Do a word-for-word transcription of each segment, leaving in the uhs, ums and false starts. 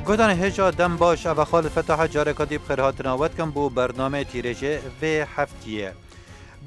Guhdarên hêja dem baş, ev e Xalid Fetah e, careka dî bi xêr hatina we dikim bo bernameyê tîrêjê vê heftiyê.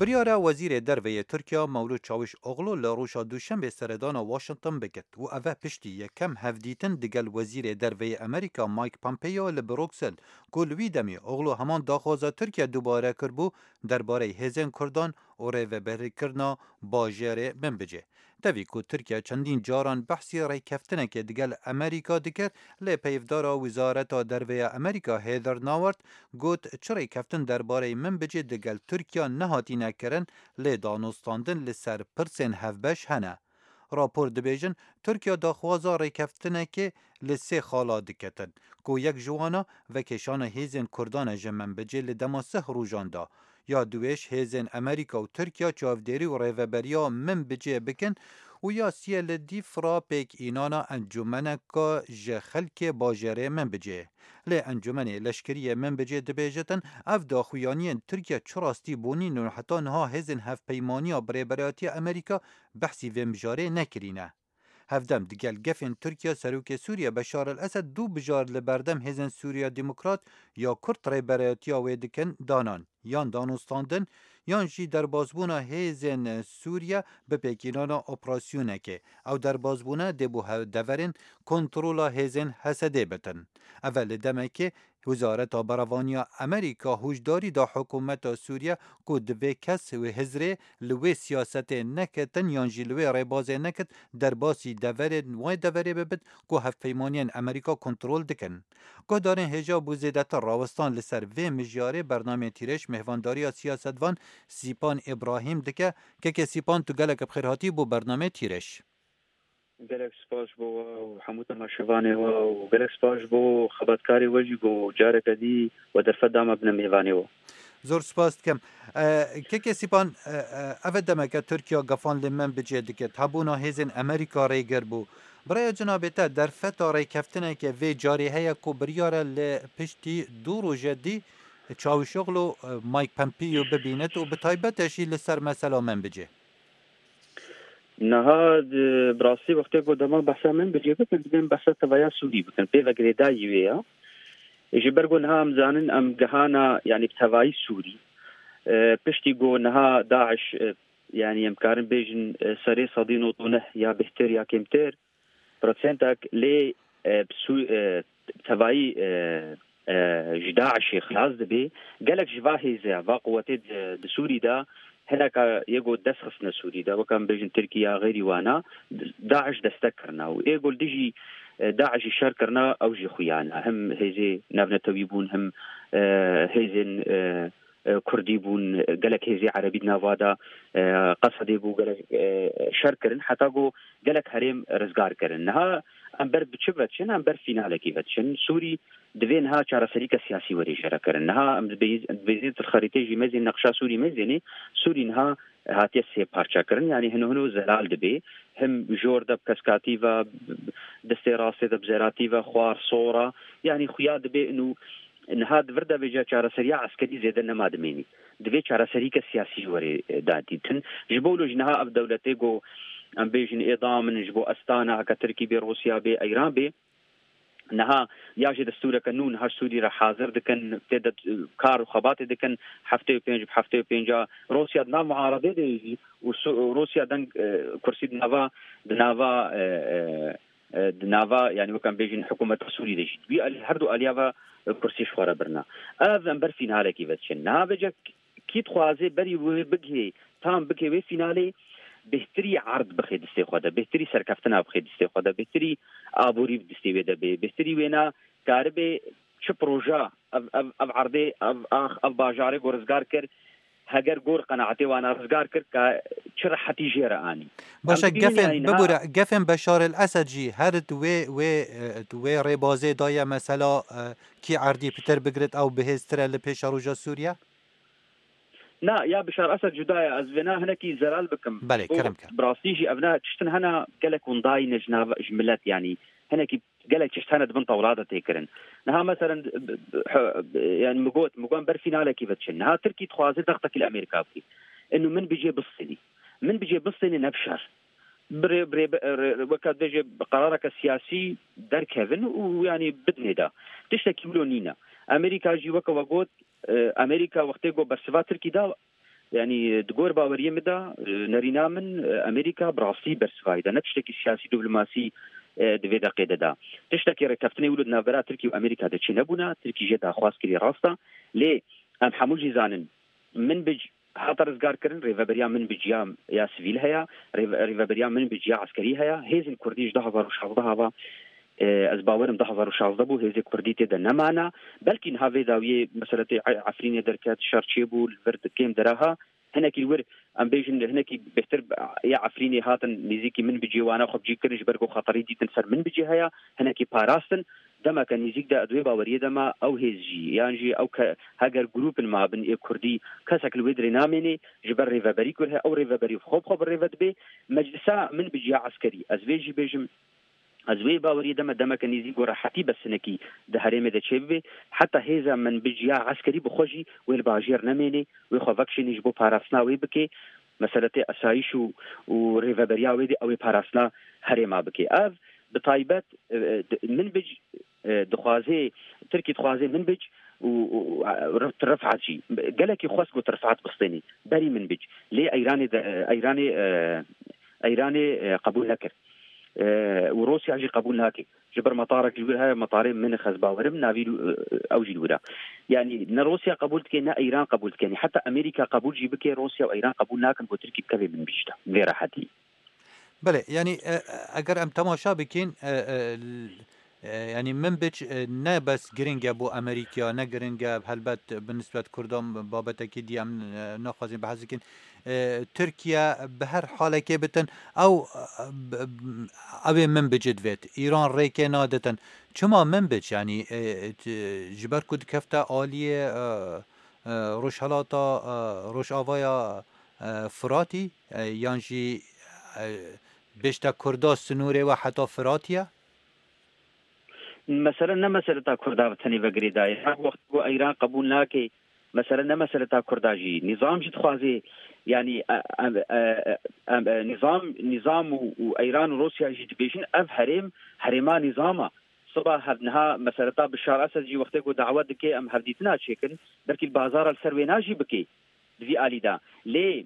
Biryara Wezîrê Derve yê Tirkiya Mewlût Çawîşoglu li roja Duşembê seredana Washington bikit û ev e piştî yekem hevdîtin digel Wezîrê Derve yê Amerîka Mike Pompeo li Bruksel, ku li wî demê Oglu heman daxwaza Tirkiye dubare kiribû derbareyê hêzên Kurdan û rêveberîkirina bajêrê Minbicê. Tevî ku Tirkiye çendîn caran behsî rêkeftinekê digel Amerîka dikir, lê peyvdara Wizareta Derve ya Amerîka Heather Nauert got, çi rêkeftin derbareyê Minbicê digel Tirkiye nehatîne kirin, lê danûstandin li ser pirsên hevbeş hene. Rapor dibêjin, Tirkiye daxwaza rêkeftinekê li sê xala diketin, ku yek ji wan a vekêşana hêzên Kurdan e ji Minbicê li dema sih rojan de. Ya duwêş hêzên Amerîka û Tirkiye çavdêrî û rêveberiya Minbicê bikin û ya siyê li dîf re pêk înana encûmeneka ji xelkê bajêrê Minbicê. Lê encûmenê leşkerî yê Minbicê dibêjitin, ev daxuyaniyên Tirkiye çi rastî bûnîn û heta niha hêzên Hevpeymaniya Birêberayetiya Amerîka behsî vê mijarê nekirîne. Hevdem digel gefên Tirkiye, Serokê Sûriye Beşar el Esed du bijar li berdem hêzên Sûriya Demokrat ya Kurd rêberayetiya wê dikin danan, yan danûstandin, yan jî derbasbûna hêzên Sûriye bi pêkînana operasyonekê. Ew derbasbûne dê bo he-, deverên kontrola hêzên H S D bitin. Ev e li demekê Wizareta Berevaniya Amerîka hûşdarî da hikûmeta Sûriye ku divê kes wê hizrê li wê siyasetê neketin yan jî li wê rêbazê nekit, derbasî deverên wê deverê bibit ku hevpeymaniyên Amerîka kontrol dikin. Guhdarên hêja bo zêdetir rawestan li ser vê mijarê bernameyê tîrêj mêhvandariya siyasetvan Sîpan Îbrahîm dike. Kekê Sîpan, tu gelek bi xêr hatî bo bernameyê tîrêj. Gelek spas bo we û hemû temaşevanê we û gelek spas bo xebatkarê we jî ku careke dî we derfet da me bine mêvanê we. Zor spas dikim. E, Kekê Sîpan, e, e, ev e demeke Tirkiye gefan li Minbicê dikit. Hebûna hêzên Amerîka rêgir bû. Bi raya cinabê te derfeta rêkeftineke vê carê heye ku biryar e li piştî du roje dî Çavuşoglu, e, Mike Pompeo bibînit û bi taybet e jî li ser mesela Minbicê? Niha di, bi rastî wextê ku dema behsa Minbicê bikin, dibên behsa tevaya Sûrî bikin. Pê ve girêdayî wê ya. Ji ber ku niha em zanin em gihana, yanî bi tevayî Sûrî. E, piştî ku niha DAIŞ, e, yanî em karin bêjin, e, serê sedî nod û neh ya bêhtir ya kêmtir, prosentek lê, e, bi Sû-, e, tevayî, e, e, ji DAIŞê xilas dibe. Gelek ji va hêze, va quwetê di, di Sûrî de hineka yê ku dest xistine Sûrî de, weke em bêjin Tirkiye, xeyrî wana, DAIŞ destek kirina. Û ê ku li dijî, e, DAIŞ jî şer kirina, ew jî xuya ne. Him hêzê navnetewî bûn, him, e, hêzên, e, e, Kurdî bûn, gelek hêzê Erebî di nava de, e, Qesedê bû, gelek, e, şer kirin, heta ku gelek herêm rizgar kirin. Niha em ber bi çi ve diçin? Em ber fînalekî ve diçin. Sûrî divê niha çareserîke siyasî were jêrekirin. Niha em dibê-, dibêjin di xerîtê jî mezên, neqşa Sûrî mezênê, Sûrî niha hatiye sê parça kirin. Yanî hino hino zelal dibe. Him jor de bi keskatî ve, destê rastê de bi zeratî ve, xwar, sora. Yanî xuya dibe inu niha di vir de vêca çareseriya eskerî zêde nema dimênî. Divê çareserîke siyasî ji werê, e, da dîtin. Ji bo wilo jî niha ev dewletê ku em bêjin ê da min ji bo Estana, heke Tirkî bê, Rûsya bê, Eyran bê, niha ya jî destûreke nû niha ji Sûrî re hazir dikin, tê de, e, kar û xebatê dikin, heftê û pênc bi heftê û pênc a Rûsya di nav muaredê de jî û Su-, Rûsya deng, e, kursî di nava, di nava, e, e, e, di nava, yanî wek em bêjin hikûmeta Sûrî de jî. Di wî alî, her du aliya ve, e, kursî ji xwe re birina. Ev em ber fînalekî ve diçin. Niha vêca kî dixwaze berî wê bigihê, tam bigihê wê fînalê, bêhtirî erd bixê distê xwe de, bêhtirî serkeftina bixê distê xwe de, bêhtirî aborî bi distê wê de bê, bêhtirî wêna karibe çi proja ev, ev, ev erdê, ev ax, ev bajarê ku rizgar kir, heger gor qenaetê wana rizgar kir, ka çi rehetî jê re anî. Baş e, em dibînin, gefên, yanî niha bibûre, gefên Beşar el Esed jî her di wê, wê, e, di wê rêbazê de ye mesela, e, kî erdî pitir bigrit ew bihêztir e li pêşeroja Sûriye? Na, ya Bişar Esed cuda ye, ez vêna hinekî zelal bikim. Belê, Bo kerem ke. Bi rastî jî ev ne tiştin hene gelek windayî ne ji nav, ji milet, yanî hinekî gelek tişt hene di bin tewla de tê kirin. Niha meselen, b-, b-, h-, b-, yani mi got, mi got em ber fînalekî ve diçin. Niha Tirkî dixwaze dextekî li Amerîka bikî. Inu Minbicê bistênî. Minbicê bistênî ne bi şer. Birê, birê, weke dibêje bi qerareke siyasî derkevin û, yanî, bidinê de. Tiştekî wilo nîne. Amerîka jî weke we got, e, Amerîka wextê ku bersiva Tirkî da, yanî, di gor baweriyê min de, e, nerîna min, e, Amerîka bi rastî bersivayî de. Ne tiştekî siyasî, diplomasî, e, di vê deqê de da. Tiştekî rêkeftinê wilo di navbera Tirkî û Amerîka de çênebûna. Tirkî jê daxwaz kirî, rast e. Lê em hemû jî zanin, Minbic hate rizgarkirin, rêveberiya Minbic ya, ya sivîl heye, rêve-, rêveberiya Minbic ya eskerî heye. Hêzên Kurdî ji du hazar û şazdeh ve, e, ez bawerim du hazar û şazdeh bû, hêzê Kurdî tê de nemana. Belkî niha vê dawiyê meseletê E-, Efrînê derket, şer çêbû, li vir kêm deraha. Hinekî li wir, em bêjin, hinekî bêhtir ya Efrînê hatin nêzîkî Minbicê, wana xwe bi cî kirin, ji ber ku xeterî dîtin ser Minbicê heye, hinekî parastin. Demeke nêzîk de, di wê baweriyê de me, ew hêz jî, yan jî ew ke-, heger grûpin mabin ê Kurdî, kesek li wê dirê namênê, ji ber rêveberî ku heye, ew rêveberî xwe bi xwe bi rêve dibe. Meclisa Minbic ya eskerî, ez vê jî bêjim, ez wê baweriyê de me, demeke nêzîk ku rehetî bes hinekî di herêmê de çêbibe, heta hêza Minbic ya eskerî bi xwe jî wê li bajêr nemênê, wê xwe vekişênê ji bo parastina wê bike, meseletê esayîş û, û rêveberiya wê dê ew ê parastina herêma bike. Ev bi taybet, e, e, di-, Minbic, e, dixwaze, Tirkî dixwaze Minbic û, û, û, e, Rif-, Rifat jî. Gelekî xwest ku Rifat bistênê berî Minbic. Lê Eyranê de, e, Eyranê, e, Eyranê, e, qebûl nekir. E, û Rûsya jî qebûl nake. Ji ber metarek ji wir heye, metarê Minix, ez bawerim, navî, e, ew jî li wir e. Yanî ne Rûsya qebûl dike, ne Eyran qebûl dike. Yanî heta Amerîka qebûl jî bike, Rûsya û Eyran qebûl nakin ku Tirkî bikeve Minbic de. Vê rehetî. Belê, yanî, e, e, eger em temaşa bikin, e, e, l-, e, yanî Minbic, e, ne bes giring e bo Amerîka, ne giring e helbet bi nisbet Kurdan babetekî dî em, e, naxwazin behs bikin. E, Tirkiye bi her halekê bitin, ew, e, b-, b-, ew ê Minbicê divêt. Îran rêkê naditin. Çima Minbic? Yanî, e, t-, ji ber ku dikefte aliyê, e, e, Rojhelata, e, Rojavaya, e, Firatî, e, yan jî, e, bêjte Kurda sinûrê we heta Firatî ye? Mesele ne meseleta Kurda bi tenê ve girêdayî. Her wext ku Eyran qebûl nake, mesele ne meseleta Kurda jî. Nîzam jî dixwaze, yanî, e, e, e, e, e, nîzam, nîzam û, û Eyran û Rûsya jî dibêjin ev herêm, herêma nîzam e. Siba hev niha meseleta Bişar Esed jî wextê ku dawet dike em hevdîtina çêkin, belkî li bazara li ser wêna jî bike di vî alî de. Lê,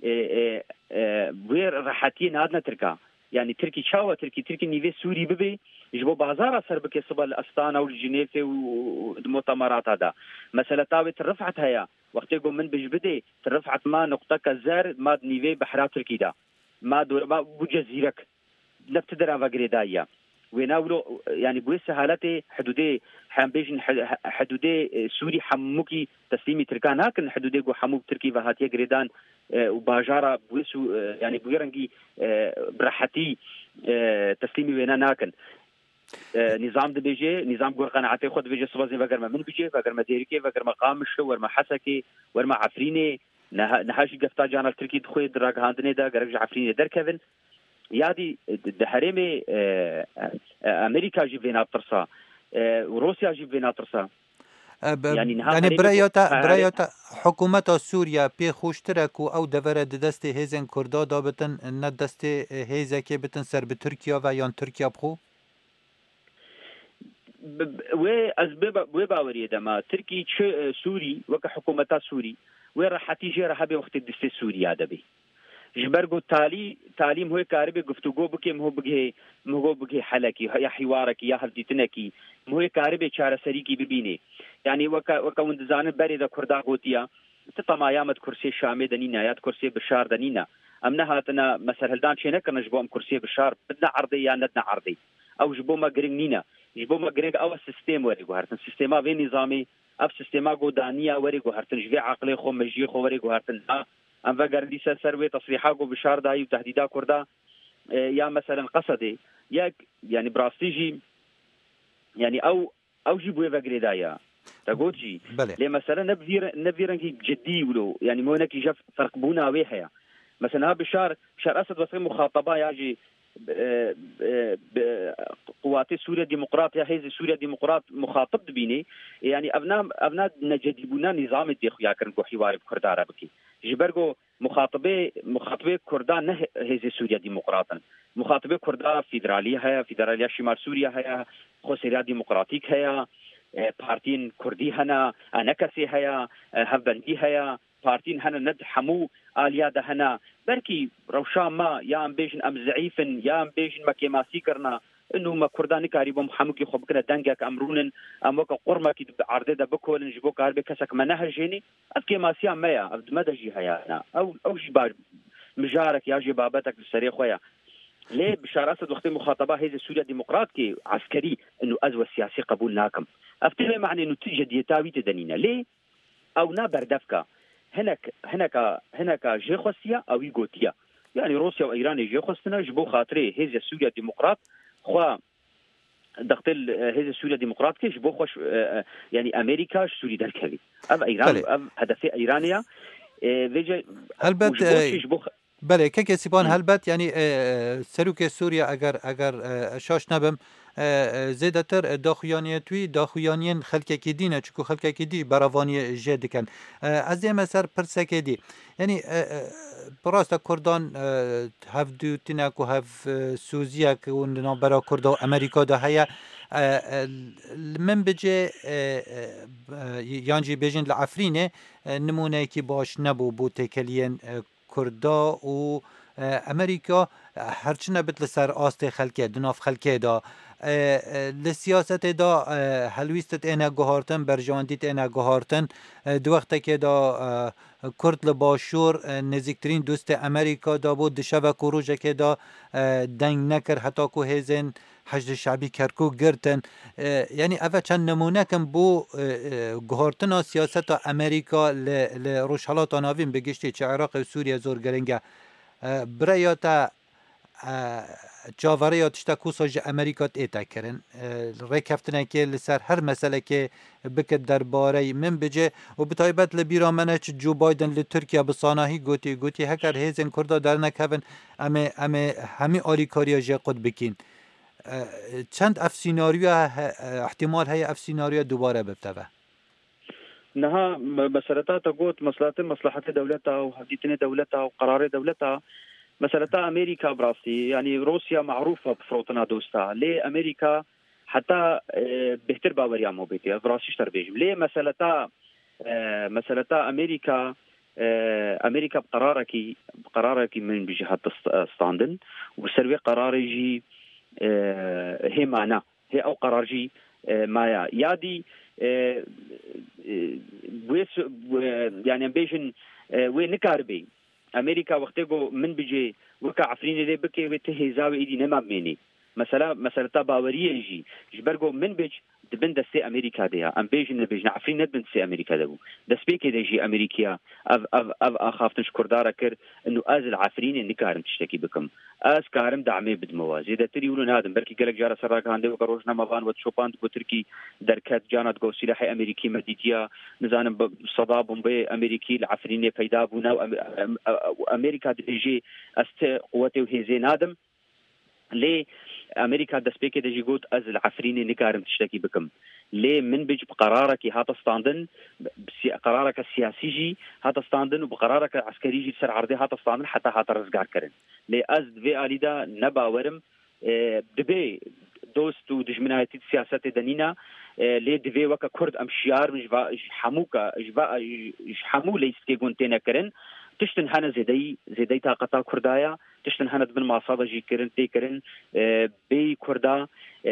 e, e, e, wê rehetiyê nadine Tirka. Yanî Tirkî çawa Tirkî? Tirkî nîvê Sûrî bibe, ji bo bazara ser bike siba li Astana û li Jinêfê û, û, û di mutemerata de. Meseleta wê Til Rifat heye. Wextê ku Minbic bidê, Til Rifat ma nuqteke zer, ma di nîvê behra Tirkî de. Ma dor-, ma bû cezîrek. Ne bi ti dera ve girêdayî ye. Wêna wilo, yanî bi wê sehaletê hidûdê, hem bêjin hi-, hi-, hidûdê, e, Sûrî hemûkî teslîmî Tirkan nakin, hidûdê ku hemû bi Tirkî ve hatiye girêdan, e, û bajara bi wê sû-, e, yanî bi wê rengî, e, bi rehetî, e, teslîmî wêna nakin. E, nîzam dibêje, nîzam gor qenaetê xwe dibêje, siba zê vegerme Minbicê, vegerme Dêrikê, vegerme Qamişlo, werme Hesekê, werme Efrînê. Niha, niha jî gefta cana li Tirkî dixwê di ragihandinê de gerek ji Efrînê derkevin. Ya dî di, di herêmê, e, e, Amerîka jî vêna tirsa, e, û Rûsya jî vêna tirsa. E, be-, Yanî niha yanî herêmê biraya ku te, her-, biraya te hikûmeta Sûriye pê xweştir e ku ew devere di destê hêzên Kurda de bitin, ne destê, e, hêzekê bitin ser bi Tirkiye ve yan Tirkiye bi xwe? Bi, bi, wê, ez bi, bi wê baweriyê de me. Tirkî çi, e, Sûrî, weke hikûmeta Sûrî, wê rehetî jê re hebe wextê distê Sûriya de bê. Ji ber ku talî, talî em hûyê karibê guftûgo bike, em hû bigihê, em hû bigihê helekî, ya hîwarekî, ya hevdîtinekî, em hûyê karibê çareserîkî bibînê. Yanî weke, weke hûn dizanin berê de Kurda gotiya, ti temaya me di kursiyê Şamê de nîne, ya di kursiyê Bişar de nîne. Em nehatine, me serhildan çênekirine ji bo em kursiyê Bişar bidine erdê ya nedine erdê. Ew ji bo me giring nîne. Ji bo me giring ew e sîstêm were guhertin. Sîstêma vê nîzamê, ev sîstêma ku daniya were guhertin. Ji vê aqilê xwe, mejiyê xwe were guhertin. Na, em vegerin dîsa ser wê tesrîha ku Bişar dayî û tehdîda Kurda, e, ya meselen Qesedê. Yek, yanî bi rastî jî, yanî ew, ew jî bi wê ve girêdayî ye. Te got jî. Belê. Lê mesele ne bi vî re-, ne bi vî rengî cidî wilo. Yanî me wekî jev ferqbûna wê heye. Mesela ha Bişar, Bişar Esed wesê muxataba ya jî, e, e, bi, Quwatê Sûriye Demokrat ya Hêzê Sûriye Demokrat muxatib dibînê. E, yanî ev na, ev na necedîbûna nîzamê dê xuya kirin ku hîwarê bi Kurda re bike. Ji ber ku Muxatibê, muxatibê Kurda ne he-, hêzê Sûriya Demokrat in. Muxatibê Kurda federalî heye, federaliya Şimal Sûriya heye, Xweseriya Demokratîk heye, e, partiyên Kurdî hene, enekesê heye, e, hevbendî heye, partiyên hene ne di hemû aliya de hene. Belkî rewşa me ya em bêjin em zeîf in, ya em bêjin me kêmasî kirine. Ino me Kurda nikarîbûn hemûkî xwe bikine dengek, em rûnin, em weke qurmekî di erdê de bikolin, ji bo karibe kesek me nehejênî. Ev kêmasiya me ya, ev di me de jî heye. Na, ew, ew jî ba-, mijarek ya jî babetek li serê xwe ya. Lê Bişar Esed wextê muxateba hêzê Sûriya Demokrat kê eskerî, ino ez we siyasî qebûl nakim. Ev tê vê manê ino tu cediyeta wî tê de nîne. Lê ew na berdevka. Hinek, hineka, hineka jê xwestiya, ew wî gotiya. Yani Rûsya û Îranê jê xwestine ji bo xatirê hêzê Sûriya Demokrat xwe dextê li, e, hêzê Sûriya Demokrat kê ji bo xwe ş-, e, e, yani Amerîka ji Sûrî derkevî. Ev Îran, Belê. Ev hedefê Îranê ya. E, vêce Helbet, û ji bo e, çi, ji bo xe- Belê, kekê Sîpan, Hı. Helbet, yanî, e, e, serokê Sûriye, eger, eger, e, şaş nebim, e, e, zêdetir, e, daxuyaniyê wî, daxuyaniyên xelkekî dî ne, çunku xelkekî dî berevaniyê jê dikin. E, ez dême ser pirsekê dî. Yanî, e, e, bi rast e Kurdan, e, hevdûtinek û hev, e, soziyek û di navbera Kurda û Amerîka de heye. E, e, li min bicê, e, e, e, yan jî bêjin li Efrînê, e, nimûneyekî baş nebû bo têkeliyên, e, Kurda û, e, Amerîka, e, her çi nebit li ser astê xelkê, di nav xelkê de, e, e, li siyasetê de, e, helwîst têne guhartin, berjewendî têne guhartin. E, di wextekê de, e, Kurd li Başûr, e, nêzîktirîn dostê Amerîka de bû, di şevek û rojekê de, e, deng nekir, heta ku hêzên Heşdê Şebî Kerkûk girtin. E, yanî ev çend nimûnek in bo, e, e, guhartina siyaseta Amerîka li, li Rojhelata Navîn bi giştî çi Iraqê û Sûriye zor giring e. E, bi rêya te, e, çaverêya tiştek wisa ji Amerîka tête kirin. E, rêkeftinekê li ser her meselekê bike derbareyî min bicê û bi taybet li bîra me ne çi Joe Biden li Tirkiye bi sanahî gotî, gotî heger hêzên Kurda dernekevin, em ê, em ê hemî alîkariya jê qut bikîn. E, çend ev sînaryoya he-, e, ihtimal heye ev sînaryoya dubare bibteve? Niha me-, meseleta te got, meselete, meslehetê dewleta û hevdîtinê dewleta û qerarê dewleta, meseleta Amerîka bi rastî, yanî Rûsya merûf e bi firotina dosta. Lê Amerîka heta, e, bêhtir baweriya me bêtê. Ev bi rastî ji te re bêjim. Lê meseleta, e, meseleta Amerîka, e, Amerîka bi qerarekî, bi qerarekî min bi jî hat st-, standin û ser wê qerarê jî, e, hê mane. Hê ew qerar jî, e, maya. Ya dî, e, e, wê su-, wê, yani em bêjin, e, wê nikaribe. Amerîka wextê ku min bicê weke Efrînê lê bike, wê ti hêza wê êdî nema mênê. Mesela, meseleta baweriyê jî, ji ber ku min bic di bin destê Amerîka de ya. Em bêjin nebêjin, Efrîn ne di bin destê Amerîka de bû. Destpêkê de jî Amerîkiya ev, ev, ev axaftin ji Kurda re kir, inu ez li Efrînê nikarim tiştekî bikim. Ez karim damê bidime we. Zêdetirî wilo nadim. Belkî gelek cara ser ragihandê weke rojnamevan we dişopand ku Tirkî derket, cana digot sîlahê Amerîkî me dîtiya, nizanim bi seda bombeyê Amerîkî li Efrînê peyda bûne û Em-, Em-, Em-, Amerîka dibêjê ez ti quwetê û hêzê nadim. Lê Amerîka destpêkê de jî got, ez li Efrînê nikarim tiştekî bikim. Lê min bic bi qerarekî hate standin, bi si-, qerareke siyasî jî hate standin û bi qerareke eskerî jî li ser erdê hate standin heta hate rizgarkirin. Lê ez di vê alî de ne bawer im, e, dibê dost û dijminayetî di siyasetê de nîne, e, lê divê weke Kurd em şiyar bin ji va-, ji hemû ke, ji va-, ji hemû leyîstikê gon têne kirin. Tiştin hene zêdeyî, zêdeyî taqeta Kurda ye. Tiştin hene di bin masa de jî kirin, tê kirin, e, bêyî Kurda, e,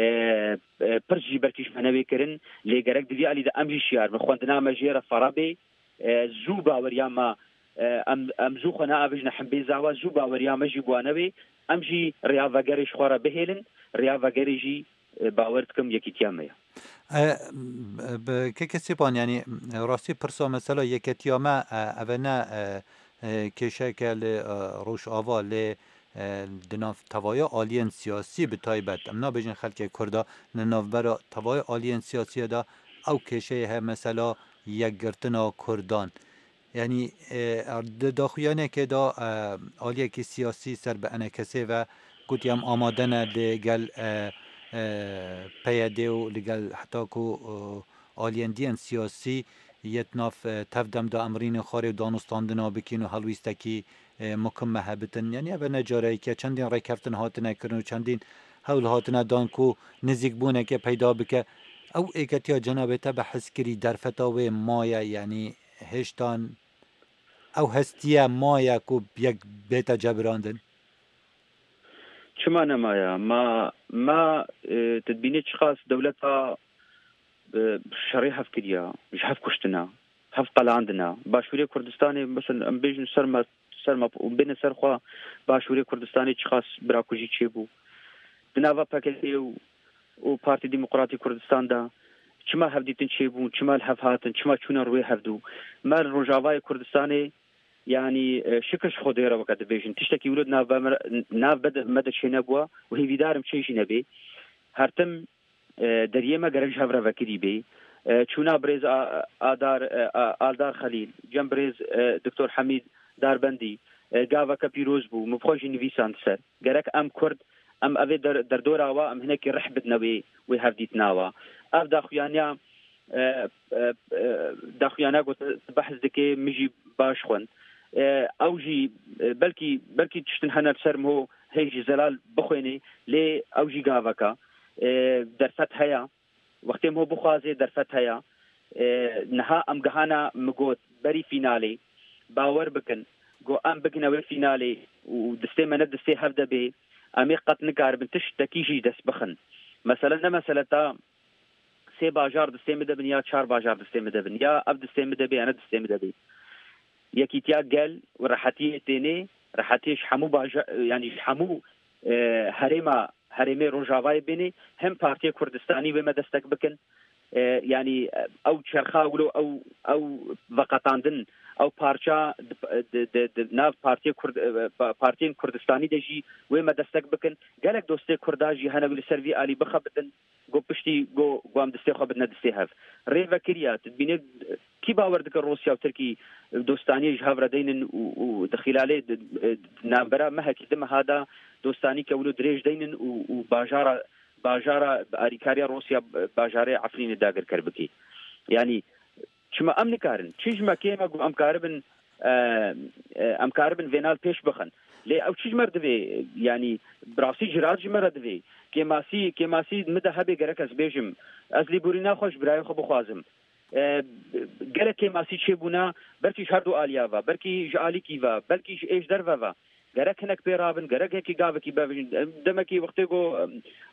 e, pirs jî belkî ji me newê kirin, lê gerek di vî alî de em jî şiyar bin. Xwendina me jê re fere bê, e, zû baweriya me, e, em, em zû xwe neavêjine himbêza we, zû baweriya me jî bi wan newê, em jî rêya vegerê ji xwe re bihêlin, rêya vegerê jî, e, bawer dikim yekîtiya me ye. E, bi keke Sêpan, yanî rastî pirsa mesela yeketiya me, e, ev e ne, e, e, kêşeke li, e, Rojava, lê, e, di nav tevaya aliyên siyasî bi taybet, em nabêjin xelkê Kurda, li navbera tevaya aliyên siyasî de ew kêşeyê heye, mesela yekgirtina Kurdan. Yanî, e, di daxuyanekê de, e, aliyekî siyasî ser bi enekesê ve gotiye, em amade ne li gel, e, e, P Y D û li gel heta ku, e, aliyên diyên siyasî, yê di nav, e, tev dem de em rînê xwarê û danûstandina bikîn û helwîstekî, e, mukim me hebitin. Yanî ev ne careyek e, çendîn rêkeftin hatine kirin û çendîn hewl hatine dan ku nizîkbûneke peyda bike. Ew êketiya cenabê te bi hizkirî derfeta wê maye, yanî hêştan ew hestiye maye ku yek bête cebirandin? Çima nemaye? Ma, ma, e, tu dibînî çiqas dewleta, e, şerê hev kiriya, ji hev kuştina, hev qelandina. Başûrê Kurdistanê, mesela em bêjin ser me, ser me û bêne ser xwe, Başûrê Kurdistanê çiqas birakujî çêbû. Di nava P K K û, û Partî Demokratî Kurdistan de çima hevdîtin çêbûn, çima li hev hatin, çima çûne rûyê hevdû? Me li Rojavayê Kurdistanê, yanî, e, şikir ji Xwedê re weke dibêjin. Tiştekî wilo di nav me, nav be de, me de çênebûwa û hêvîdar im çê jî nebê. Her tim, e, deriyê me gerek ji hev re vekirî bê. E, çûna birêz A-, Adar, e, A-, Aldar Xelîl, cem birêz, e, Doktor Hemîd Darbendî, e, gaveke pîroz bû. Min bi xwe jî nivîsand ser. Gerek em Kurd, em evê der-, derdora wa, em hinekî rih bidine wê, wê hevdîtina wa. Ev daxuyaniya, e, e, e, daxuyaniya ku tu behs dikê, min jî baş xwend. E, ew jî, e, belkî, belkî tiştin hene li ser min hê jî zelal bixwênê, lê ew jî gaveka. E, derfet heye. Wextê min bixwaze derfet heye. E, niha em gihana, min got, berî fînalê. Bawer bikin, ku em bigine wê fînalê û distê me ne distê hev de bê, em ê qet nikaribin tiştekî jî dest bixin. Mesele ne mesele ta sê bajar distê min de bin ya çar bajar distê min de bin. Ya ev distê min de bê, ya ne distê min de bê. Yekîtiya gel û rehetiyê tênê, rehetiyê ji hemû baja-, yanî ji hemû, e, herêma, herêmê Rojavayê bênê, hem Partiyê Kurdistanî wê me destek bikin. E, yanî, e, ew çerxa wilo ew, ew veqetandin, ew parça di, di, di, di nav Partiyê Kurd-, e, pa-, partiyên Kurdistanî de jî wê me destek bikin. Gelek dostê Kurda jî hene wî li ser vî alî bixebitin. Go piştî go, go em distê xwe bidine distê hev. Rê vekiriya, tu dibînî, kî bawer dike Rûsya û Tirkî dostaniyê ji hev re deynin û, û di xîlalê di, di navbera mehekî di meha de dostanî ke wilo dirêj deynin û, û bajara, bajara bi alîkariya Rûsya bajarê Efrînê dagirker bikî. Yanî çima em nikarin? Çi ji me kêm e ku em karibin, e, e, em karibin vêna li pêş bixin? Lê ew çi ji me re divê? Yanî bi rastî cirat ji me re divê. Kêmasî, kêmasî min de hebe gerek ez bêjim. Ez lêborîna xwe ji birayê xwe bixwazim. E, gelek kêmasî çêbûna, belkî ji her du aliya ve, belkî ji alîkî ve, belkî ji ê ji derve ve. Gerek hinek pê rabin, gerek yekî gavekî bevijin. Em, demekî wextê ku, em,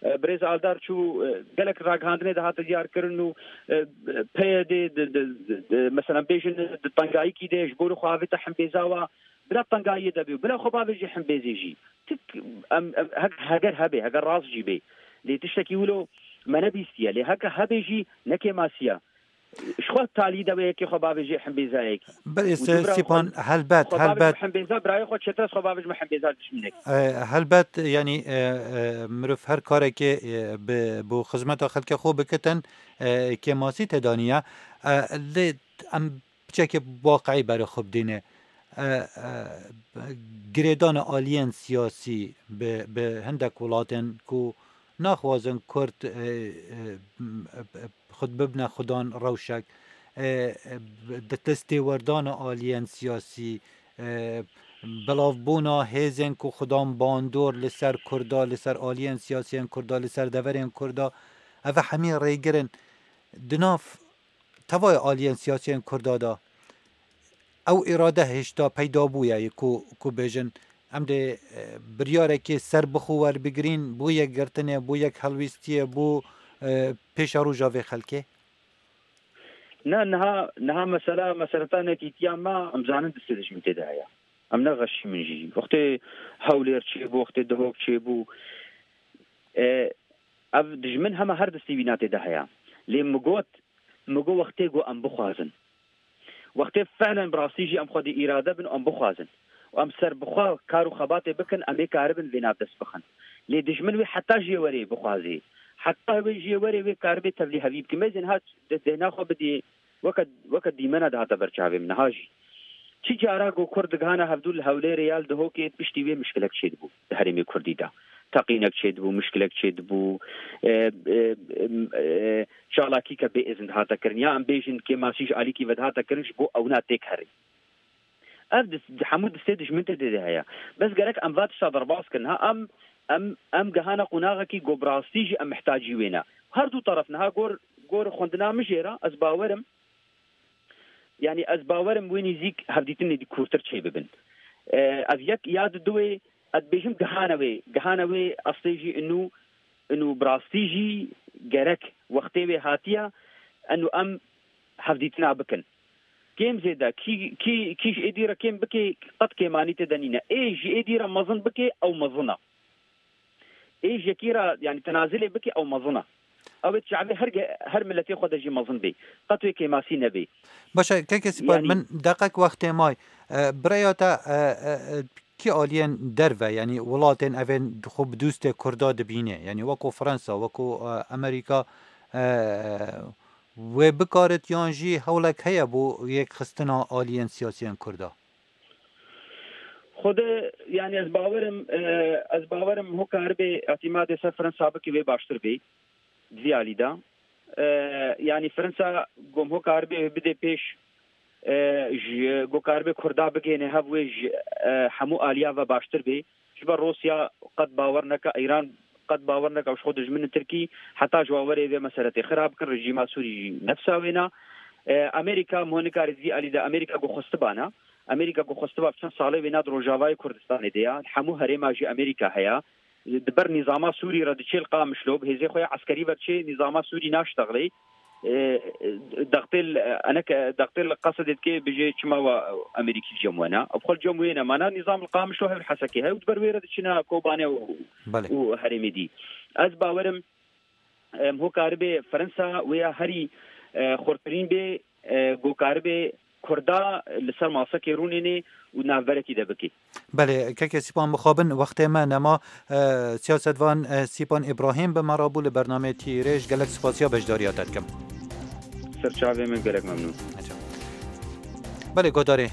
e, birêz Aldar çû, e, gelek ragihandinê de hate diyar kirin û, e, P Y D di, di, di, di, mesela bêjin di tengayîkî de ji bo li xwe avête himbêza wa, bila tengayiyê de bê û bila xwe bavêjê himbêzê jî. Tik, em, em, hek-, heger hebe, heger rast jî bê. Lê tiştekî wilo me nebîstiye. Lê heke hebe jî ne kêmasiya. Ji xwe talî de wê yekê xwe bavêjê himbêzayekî. Belê, Û se-, dû bira Sîpan, xwe, helbet, xwe bavêj helbet. Himbêza birayê xwe çêtir ez xwe bavêjme himbêza dijminekî. E, helbet, yanî, e, e, mirov her karekê, e, bi, bo xizmeta xelkê xwe bikitin, e, kêmasî têda niye. E, lê em piçekê waqî berê xwe bidîne. E, e, girêdana aliyên siyasî bi, bi hindek welatên ku naxwazin Kurd, e, e, xud bibne xudan rewşek, e, e, di destê werdana aliyên siyasî, e, belavbûna hêzên ku xudan bandor li ser Kurda, li ser aliyên siyasiyên Kurda, li ser deverên Kurda, ev hemî rêgir in. Di nav tevayê aliyên siyasiyên Kurda de ew îrade hêşta peyda bûye, yê ku, ku bêjin, em dê, e, biryarekê serbixwe werbigirîn, bo yekgirtinê, bo yekhelwîstiyê, bo, e, pêşeroja vê xelkê? Ne, niha, niha mesela, meseleta nekîtiya me, em zanin distê dijmin tê de heye. Em ne xeşî min jî. Wextê Hewlêr çêbû, wextê Duhok çêbû, e, ev dijmin hema her distê wîna tê de heye. Lê min got, min got wextê got em bixwazin. Wextê felen bi rastî jî em xwedî îrade bin û em bixwazin. Û em ser bi xwe kar û xebatê bikin, em ê karibin vê nav dest bixin. Lê dijmin wê heta jê werê bixwazê. Heta wê jê werê wê karibê tevlîhevî bikin. Mêzên hat di dêhna xwe bidiyê, weke, weke dîmena dihate ber çavê min niha jî. Çi cara ku Kurd digihana hevdû li Hewlêrê ya li Duhokê piştî wê mişkilek çêdibû di herêmê Kurdî de. teqînek çêdibû, mişkilek çêdibû, e, e, e, çalakîke bê îzin dihate kirin, ya em bêjin kêmasî ji alîkî ve dihate kirin, ji bo ewna têk herî. Ev dis-, hemû distê dijmin tê de heye. Bes gerek em va tişta derbas kin. Ha, em, em, em gehana qonaxekî ku bi rastî jî em mihtacî wê ne. Her du teref niha gor, gor xwendina min jê re, ez bawerim, yanî ez bawerim wê nîzîk hevdîtinê dî kûrtir çê bibin. E, ev yek ya di duwê, ez dibêjim gehana wê, gehana wê eslê jî inu, inu bi rastî jî gerek wextê wê hatiye, inu em hevdîtina bikin. Kêm zêde, kî, kî, kî ji êdî re kêm bike, qet kêmanî tê de nîne. Ê ji êdî re mezin bike, ew mezin e. Ê ji yekî re, yanî tenazilê bike, ew mezin e. Ew ê çavê her ge-, her miletê xwe de jî mezin bê. Qet wê kêmasî nebê. Baş e, keke Sîpan, Yanî min deqek wextê may. E, bi rêya te, e, e, e, kî aliyên derve, yanî welatên evên xwe bi dûstê Kurda dibîne, yanî weko Fransa, weko, e, Amerîka, e, wê bikarit yan jî hewlek heye bo yekxistina aliyên siyasiyên Kurda? Xwedê, yanî ez bawerim, e, ez bawerim ho karibê îtîmadê ser Fransa bike wê baştir bê. Di vî alî de, e, yanî Fransa gom ho karibê bide pêş, e, ji go karibê Kurda bigihêne hev wê ji, e, hemû aliya ve baştir bê. Ji ber Rûsya qet bawer neke, Îran qet bawer neke, ew ji xwe dijmin in Tirkî, heta ji wan werê vê meseletê xira bikin, rejîma Sûrî jî nefsa wê ne. E, Amerîka, min nikare di vî alî de Amerîka ku xwestibana. Amerîka ku xwestiba bi çend salê wê ne di Rojavayê Kurdistanê de ya. Hemû herêma jî Amerîka heye. Di ber nîzama Sûrî re diçê li Qamişlo, bi hêzê xwe ya eskerî ve diçê, nîzama Sûrî naştexlê. E, dextê li, enek, dextê li Qesedê dike, bijê çima wa Amerîkî cem we ne? Ev xwe li cem wê ne. Mana nîzam li Qamişlo hev li Hesekê hev, di ber wê re diçine Kobanê û, Belê. û herêmê dî. Ez bawerim, em, ho karibê Fransa wê ya herî, e, xurtirîn bê, e, go karibê Kurda li ser masekê rûnênê û navberekî de bikê. Belê, keke Sîpan, mixabin wextê me nema, e, siyasetvan, e, Sîpan Îbrahîm bi me re bû li bernameyê Tîrêj. Gelek spasiya beşdariya te dikim. Ser çavê min, gelek memnûn. Belê, guhdarê,